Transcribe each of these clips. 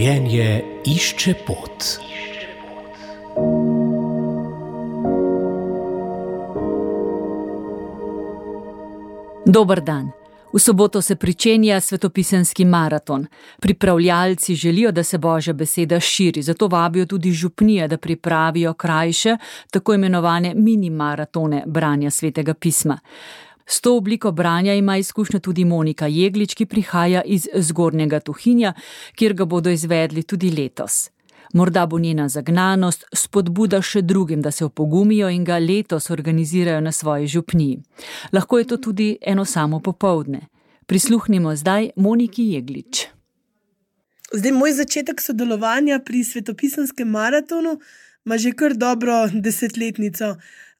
Življenje išče pot. Dober dan. V soboto se pričenja svetopisemski maraton. Pripravljalci želijo, da se Božja beseda širi, zato vabijo tudi župnije, da pripravijo krajše, tako imenovane mini maratone branja svetega pisma. S to obliko branja ima izkušnjo tudi Monika Jeglič, ki prihaja iz Zgornjega Tuhinja, kjer ga bodo izvedli tudi letos. Morda bo njena zagnanost spodbuda še drugim, da se opogumijo in ga letos organizirajo na svoji župniji. Lahko je to tudi eno samo popoldne. Prisluhnimo zdaj Moniki Jeglič. Zdaj, moj začetek sodelovanja pri svetopisemskem maratonu ima že kar dobro desetletnico.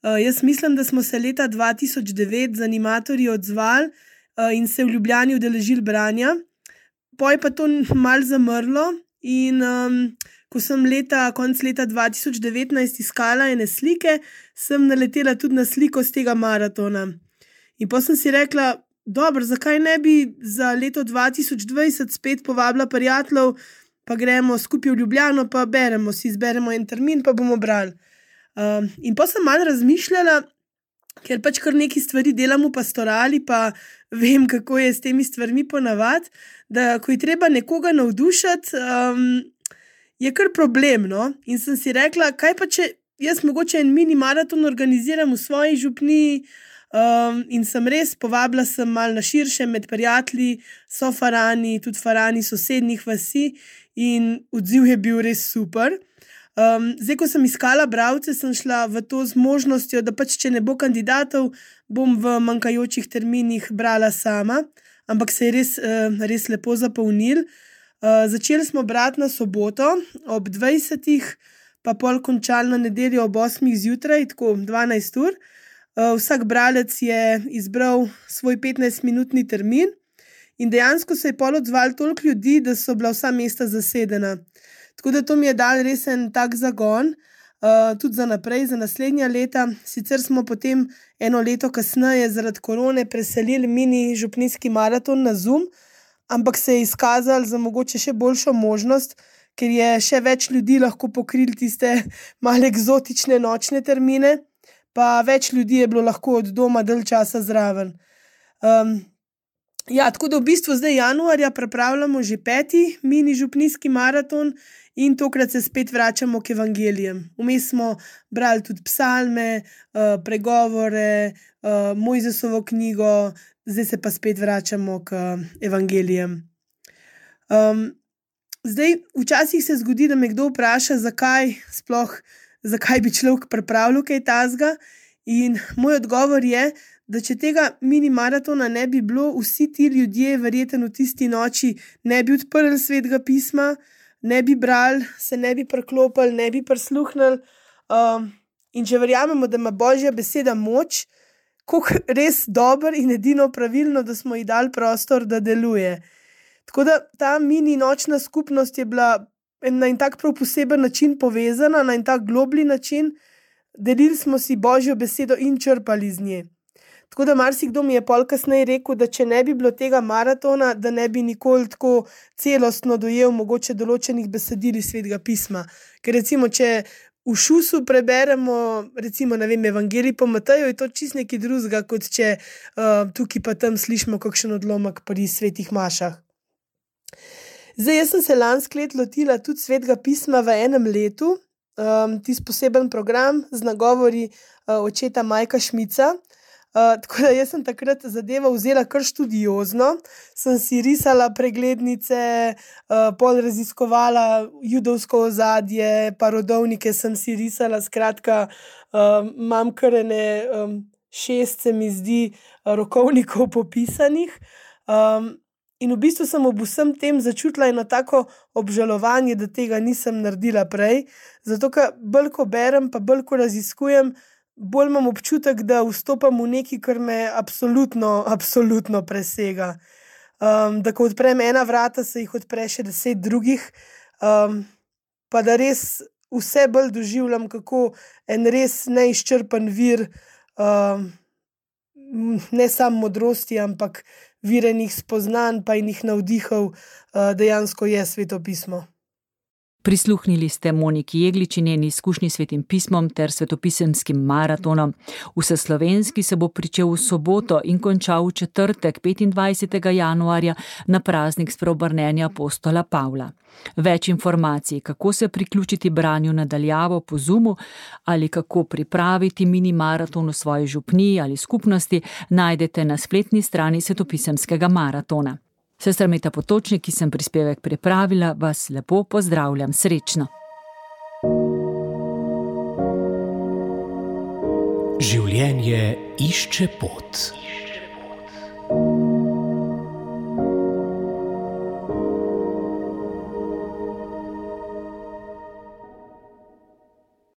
Jaz mislim, da smo se leta 2009 z animatorji odzvali in se v Ljubljani udeležili branja. Poj pa to malo zamrlo in ko sem konec leta 2019 iskala ene slike, sem naletela tudi na sliko z tega maratona. In pa sem si rekla, dobro, zakaj ne bi za leto 2020 spet povabila prijateljev, pa gremo skupaj v Ljubljano, pa izberemo en termin, pa bomo brali. In pa sem malo razmišljala, ker pač kar neki stvari delam v pastorali, pa vem, kako je s temi stvarmi ponavadi, da ko je treba nekoga navdušiti, je kar problem, no? In sem si rekla, kaj pa če jaz mogoče en mini maraton organiziram v svoji župniji, in sem res povabila sem malo na širše med prijatelji, so farani, tudi farani sosednjih vasi in odziv je bil res super. Zdaj, ko sem iskala bralce, sem šla v to z možnostjo, da pač, če ne bo kandidatov, bom v manjkajočih terminih brala sama, ampak se je res lepo zapolnil. Začeli smo brati na soboto ob 20, pa pol končali na nedeljo ob 8 zjutraj, tako 12 ur. Vsak bralec je izbral svoj 15-minutni termin in dejansko se je pol odzvalo toliko ljudi, da so bila vsa mesta zasedena. Tako da to mi je dal res en tak zagon, tudi za naprej, za naslednja leta. Sicer smo potem eno leto kasneje zaradi korone preselili mini župnijski maraton na Zoom, ampak se je izkazalo za mogoče še boljšo možnost, ker je še več ljudi lahko pokrili tiste malo eksotične nočne termine, pa več ljudi je bilo lahko od doma dalj časa zraven. Tako da v bistvu zdaj januarja pripravljamo že 5. mini župnijski maraton in tokrat se spet vračamo k evangelijem. Vmes smo brali tudi psalme, pregovore, Mojzesovo knjigo, zdaj se pa spet vračamo k evangelijem. Zdaj, včasih se zgodi, da me kdo vpraša, zakaj bi človek pripravljal kaj takega, in moj odgovor je, da če tega mini maratona ne bi bilo, vsi ti ljudje verjetno v tisti noči ne bi odprli svetega pisma, ne bi brali, se ne bi priklopili, ne bi prisluhnili. In če verjamemo, da ima Božja beseda moč, kako res dobro in edino pravilno, da smo ji dali prostor, da deluje. Tako da ta mini nočna skupnost je bila na en tak prav poseben način povezana, na en tak globlji način. Delili smo si Božjo besedo in črpali iz nje. Tako da marsikdo mi je pol kasneje rekel, da če ne bi bilo tega maratona, da ne bi nikoli tako celostno dojel mogoče določenih besedil iz svetega pisma. Ker recimo, če v šusu preberemo, recimo, ne vem, Evangelij po Mateju, je to čisto nekaj drugega, kot če tukaj pa tam slišimo kakšen odlomek pri svetih mašah. Zdaj, jaz sem se lansko leto lotila tudi svetega pisma v enem letu, tisti poseben program z nagovori očeta Majka Šmica. Tako da jaz sem takrat zadevo vzela kar študiozno, sem si risala preglednice, pol raziskovala judovsko ozadje, pa rodovnike sem si risala, skratka, imam kar 6, se mi zdi, rokovnikov popisanih. In v bistvu sem ob vsem tem začutila eno tako obžalovanje, da tega nisem naredila prej, zato ker bolj ko berem, pa bolj ko raziskujem, bolj imam občutek, da vstopam v nekaj, kar me absolutno presega. Da ko odprem ena vrata, se jih odpre še 10 drugih, pa da res vse bolj doživljam, kako en res neizčrpan vir, ne samo modrosti, ampak vir enih spoznanj pa enih navdihov dejansko je sveto pismo. Prisluhnili ste Moniki Jeglič in njeni izkušnji s Svetim pismom ter svetopisemskim maratonom. Vseslovenski se bo pričel v soboto in končal v četrtek, 25. januarja, na praznik spreobrnenja apostola Pavla. Več informacij, kako se priključiti branju nadaljavo po Zoomu ali kako pripraviti mini maraton v svoji župniji ali skupnosti, najdete na spletni strani svetopisemskega maratona. Sestra Meta Potočnik, ki sem prispevek pripravila, vas lepo pozdravljam. Srečno! Življenje išče pot.